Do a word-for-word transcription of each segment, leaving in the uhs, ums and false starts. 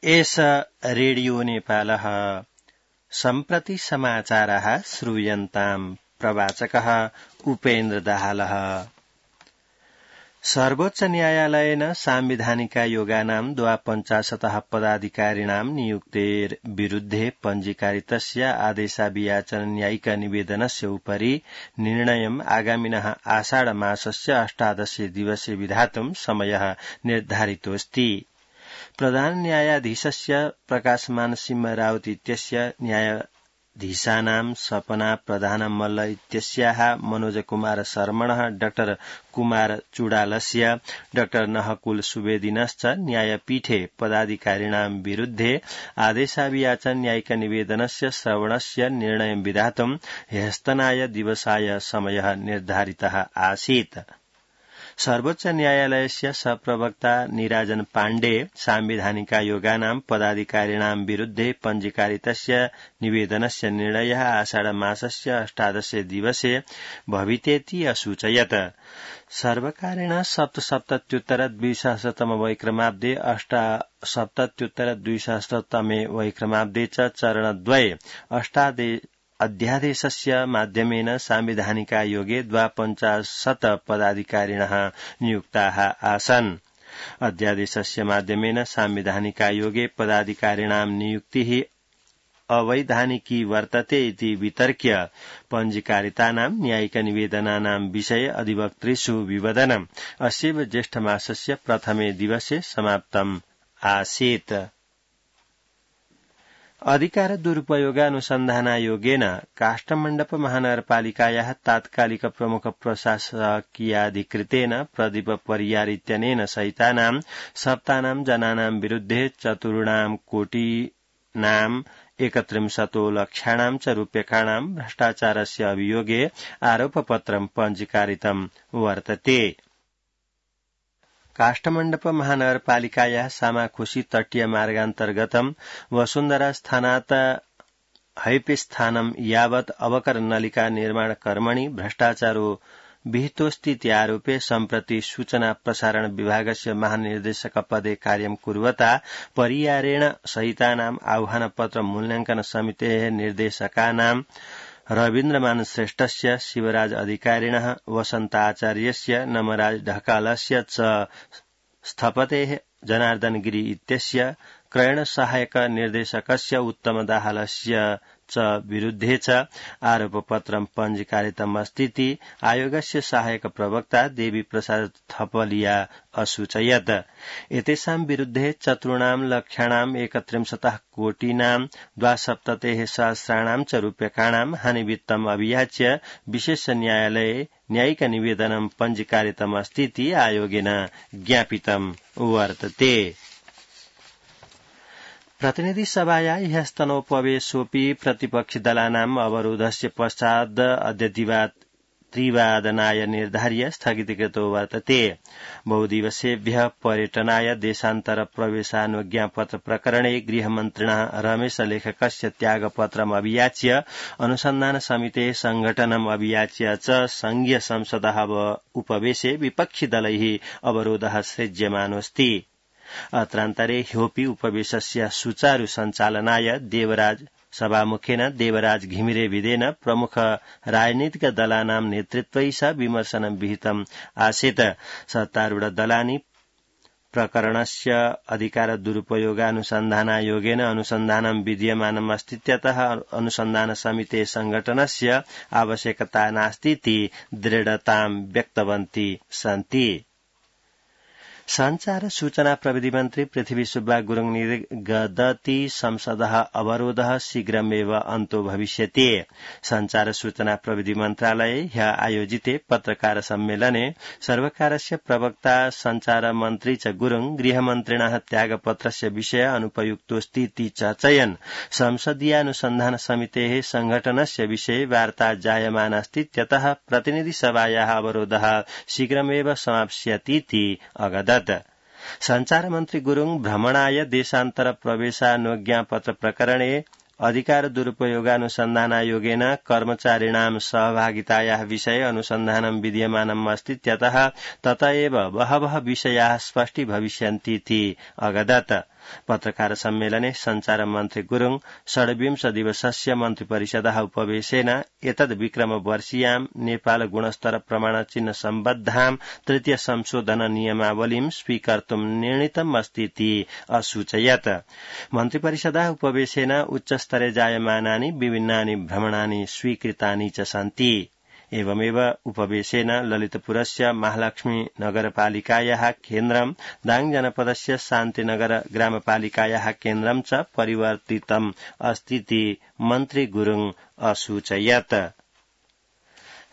एष रेडियो नेपालः सम्प्रति समाचारः श्रूयन्ताम् प्रवाचकः उपेन्द्र दाहालः। सर्वोच्च न्यायालयेन सांविधानिकायोगानां द्वापञ्चाशतः पदाधिकारिणां नियुक्तेर् विरुद्धे पञ्जीकारितस्य आदेशाभियाचन न्यायिक निवेदनस्य उपरि निर्णयम् आगामिनः आषाढमासस्य अष्टादशे दिवसे विधातुं समयः निर्धारितोऽस्ति। प्रधान न्यायाधीशस्य प्रकाशमान सिंह राउत इत्यस्य न्यायाधीशानां सपना प्रधान मल्ल इत्यस्याः मनोज कुमार शर्मणः डॉक्टर कुमार चुडालस्य डॉक्टर नहकुल सुवेदिनश्च न्यायपीठे पदाधिकारिणां विरुद्धे आदेशाभियाचन न्यायिक निवेदनस्य श्रवणस्य निर्णयं विधातुं ह्यस्तनाय दिवसाय समयः निर्धारितः आसीत्। सर्वोच्च न्यायालयस्य सप्रवक्ता निराजन पाण्डे सांविधानिकायोगानां पदाधिकारिणां विरुद्धे पञ्जीकारितस्य निवेदनस्य निर्णयः आषाढमासस्य अष्टादशे दिवसे भवितेति असूचयत्। सर्वकारेण सप्तसप्तत्युत्तर द्विसहस्रतम वैक्रमाब्दे अष्टसप्तत्युत्तर द्विसहस्रतमे वैक्रमाब्दे च चरणद्वये अष्टादे अध्यादेशस्य माध्यमेन सांविधानिकायोगे द्वापञ्चाशत् पदाधिकारिणः नियुक्ताः आसन्। अध्यादेशस्य माध्यमेन सांविधानिकायोगे पदाधिकारिणां नियुक्तिः अवैधानिकी वर्तते इति वितर्क्य पञ्जीकारितानां न्यायिक निवेदनानां विषये अधिवक्तृषु विवदनम् अस्यैव ज्येष्ठमासस्य प्रथमे दिवसे समाप्तम् आसीत्। अधिकार दुरुपयोगानुसन्धानायोगेन काष्ठमण्डप महानगरपालिकायाः तात्कालिक प्रमुख प्रशासकीयाधिकृतेन प्रदीप परियार इत्यनेन सहितानां सप्तानां जनानां विरुद्धे चतुर्णां कोटिनां एकत्रिंशतो लक्षाणां च रूप्यकाणां भ्रष्टाचारस्य अभियोगे आरोपपत्रं पञ्जीकारितं वर्तते। काष्ठमण्डप महानगरपालिकायाः सामाखुशी तटीय मार्गान्तर्गतं वसुन्धरा स्थानात् हैपिस्थानं यावत् अवकर नलिका निर्माण कर्मणि भ्रष्टाचारो विहितोऽस्तीत्यारोपे सम्प्रति सूचना प्रसारण विभागस्य महानिर्देशक पदे कार्यं कुर्वता परियारेण सहितानाम् आह्वानपत्र मूल्याङ्कन समितेः निर्देशकानां रवीन्द्रमान श्रेष्ठस्य शिवराज अधिकारिणः वसन्त आचार्यस्य नमराज ढकालस्य च स्थपतेः जनार्दन गिरि इत्यस्य क्रयण सहायक निर्देशकस्य उत्तम दाहालस्य च विरुद्धे च आरोपपत्रं पञ्जीकारितम् अस्तीति आयोगस्य सहायक प्रवक्ता देवी प्रसाद थपलिया असूचयत्। एतेषां विरुद्धे चतुर्णां लक्षाणाम् एकत्रिंशतः कोटिनां द्वासप्ततेः सहस्राणां च रूप्यकाणां हानिवित्तम् अभियाच्य विशेष न्यायालये न्यायिक निवेदनं पञ्जीकारितम् अस्तीति आयोगेन ज्ञापितं वर्तते। प्रतिनिधि सभाया ह्यस्तनोपवेशोऽपि प्रतिपक्षिदलानाम् अवरोधस्य पश्चात् अद्य त्रिवादनाय निर्धार्य स्थगितीकृतो वर्तते। बहुदिवसेभ्यः पर्यटनाय देशान्तर प्रवेशानुज्ञापत्र प्रकरणे गृहमन्त्रिणः रमेश लेखकस्य त्यागपत्रम् अभियाच्य अनुसन्धान समितेः संघटनम् अभियाच्य च संघीय संसदः उपवेशे विपक्षिदलैः अवरोधः सृज्यमानोऽस्ति। अत्रान्तरे ह्योपि उपवेशस्य सुचारु सञ्चालनाय देवराज सभामुखेन देवराज घिमिरे विदेन प्रमुख राजनीतिक दलानां नेतृत्वैः सह विमर्शनं विहितम् आसीत्। सत्तारूढ दलानि प्रकरणस्य अधिकार दुरुपयोगानुसन्धानायोगेन अनुसन्धानं विद्यमानम् अस्तीत्यतः अनुसन्धान समिते संघटनस्य आवश्यकता नास्तीति दृढतां व्यक्तवन्ति सन्ति। संचार सूचना प्रविधि मन्त्री पृथ्वी सुब्बा गुरुङ निर्गदति संसदः अवरोधः शीघ्रमेव अन्तो भविष्यति। संचार सूचना प्रविधि मन्त्रालये ह्य आयोजिते पत्रकार सम्मेलने सर्वकारस्य प्रवक्ता संचार मन्त्री च गुरुङ गृहमन्त्रिणः त्यागपत्रस्य विषय अनुपयुक्तोऽस्तीति चर्चयन् संसदीयानुसन्धान समितेः संघटनस्य विषये वार्ता जायमानास्तीत्यतः प्रतिनिधि सभायाः अवरोधः शीघ्रमेव समाप्स्यतीति अवदत्। संचार मन्त्री गुरुङ भ्रमणाय देशान्तर प्रवेशानुज्ञापत्र प्रकरणे अधिकार दुरुपयोगानुसन्धानायोगेन कर्मचारिणां सहभागितायाः विषये अनुसन्धानं विद्यमानम् अस्तीत्यतः तत एव बहवः विषयाः स्पष्टी भविष्यन्तीति अवदत्। पत्रकार सम्मेलने संचार मन्त्री गुरुङ षड्विंश दिवसस्य मन्त्रिपरिषदः उपवेशेन एतद् विक्रमवर्षीयां नेपाल गुणस्तर प्रमाणचिह्न सम्बद्धां तृतीय संशोधन नियमावलीं स्वीकर्तुं निर्णीतम् अस्तीति असूचयत्। मन्त्रिपरिषदः उपवेशेन उच्चस्तरे जायमानानि विभिन्नानि भ्रमणानि स्वीकृतानि च सन्ति। एवमेव उपवेशेन ललितपुरस्य महालक्ष्मी नगरपालिकायाः केन्द्रं दाङ जनपदस्य शान्तिनगर ग्रामपालिकायाः केन्द्रं च परिवर्तितम् अस्तीति मन्त्री गुरुङ असूचयत्।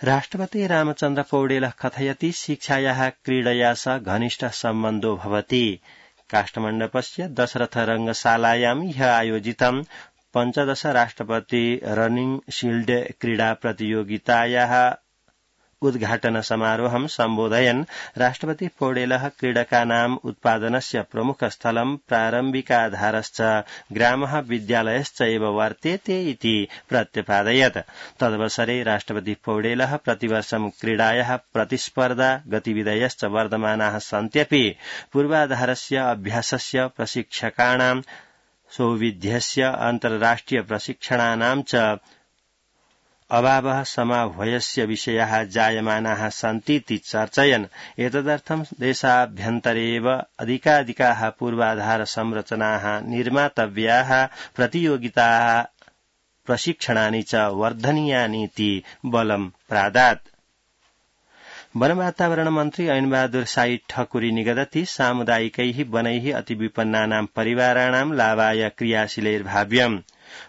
राष्ट्रपति रामचन्द्र पौडेलः कथयति शिक्षायाः क्रीडया सह घनिष्ठ सम्बन्धो भवति। काष्ठमण्डपस्य दशरथ रंगशालायां ह्यः आयोजितं पञ्चदश राष्ट्रपति रनिंग शील्ड क्रीडा प्रतियोगितायाः उद्घाटन समारोहं सम्बोधयन् राष्ट्रपति पौडेलः क्रीडकानाम् उत्पादनस्य प्रमुख स्थलं प्रारम्भिकाधारश्च ग्रामः विद्यालयश्च एव वर्तेते इति प्रत्यपादयत्। तदवसरे राष्ट्रपति पौडेलः प्रतिवर्षं क्रीडायाः प्रतिस्पर्धा गतिविधयश्च वर्धमानाः सन्त्यपि पूर्वाधारस्य अभ्यासस्य प्रशिक्षकाणां सौविध्यस्य अन्ताराष्ट्रिय प्रशिक्षणानां च अभावः समाह्वयस्य विषयाः जायमानाः सन्तीति चर्चयन् एतदर्थं देशाभ्यन्तरे एव अधिकाधिकाः पूर्वाधार संरचनाः निर्मातव्याः, प्रतियोगिताः प्रशिक्षणानि च वर्धनीयानीति बलं प्रादात्। वन वातावरण मन्त्री ऐनबहादुर साई ठकुरी निगदति सामुदायिकैः वनैः अतिविपन्नानां परिवाराणां लाभाय क्रियाशीलैर्भाव्यम्।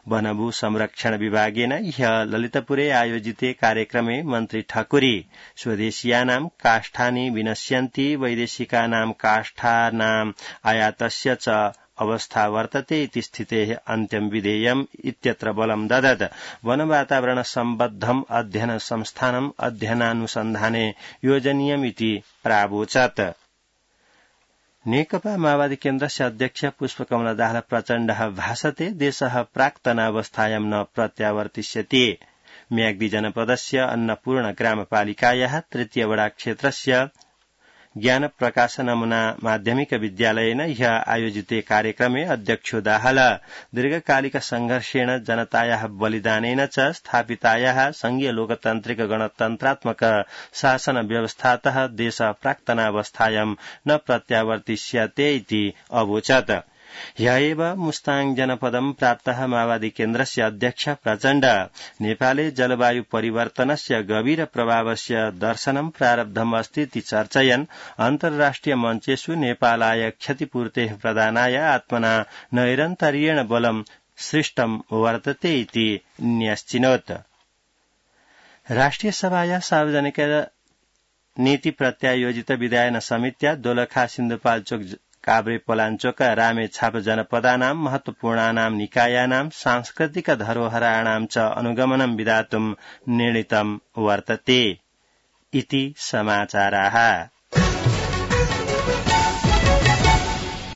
वनभू संरक्षण विभागेन ह्यः ललितपुरे आयोजिते कार्यक्रमे मन्त्री ठकुरी स्वदेशीयानां काष्ठानि विनश्यन्ति, वैदेशिकानां काष्ठानाम् आयातस्य च अवस्था वर्तते इति स्थितेः अन्त्यं विधेयम् इत्यत्र बलं ददत्। वन वातावरण सम्बद्धम् अध्ययन संस्थानम् अध्ययनानुसन्धाने योजनीयमिति प्रावोचत्। नेकपा माओवादी केन्द्रस्य अध्यक्ष पुष्पकमल दाहाल प्रचण्डः भाषते देशः प्राक्तनावस्थायां न प्रत्यावर्तिष्यति। म्याग्दी जनपदस्य अन्नपूर्ण ग्रामपालिकायाः तृतीय वडा क्षेत्रस्य ज्ञान प्रकाश नमूना माध्यमिक विद्यालयेन ह्यः आयोजिते कार्यक्रमे अध्यक्षो दाहाल दीर्घकालिक संघर्षेण जनतायाः बलिदानेन च स्थापितायाः संघीय लोकतान्त्रिक गणतन्त्रात्मक शासन व्यवस्थातः देश प्राक्तनावस्थायां न प्रत्यावर्तिष्यते इति अवोचत्। ह्यः एव मुस्ताङ जनपदं प्राप्तः माओवादी केन्द्रस्य अध्यक्ष प्रचण्ड नेपाले जलवायु परिवर्तनस्य गभीर प्रभावस्य दर्शनं प्रारब्धम् अस्ति इति चर्चयन् अन्तर्राष्ट्रिय मञ्चेषु नेपालाय क्षतिपूर्तेः प्रदानाय आत्मना नैरन्तर्येण बलं सृष्टं वर्तते इति न्यश्चिनोत्। राष्ट्रिय सभाया सार्वजनिक नीति प्रत्यायोजित विधायन समित्या दोलखा सिन्धुपाल्चोक काभ्रे पलाञ्चोक रामेछाप जनपदानां महत्वपूर्णानां निकायानां सांस्कृतिक धरोहराणां च अनुगमनं विधातुं निर्णीतं वर्तते इति समाचाराः।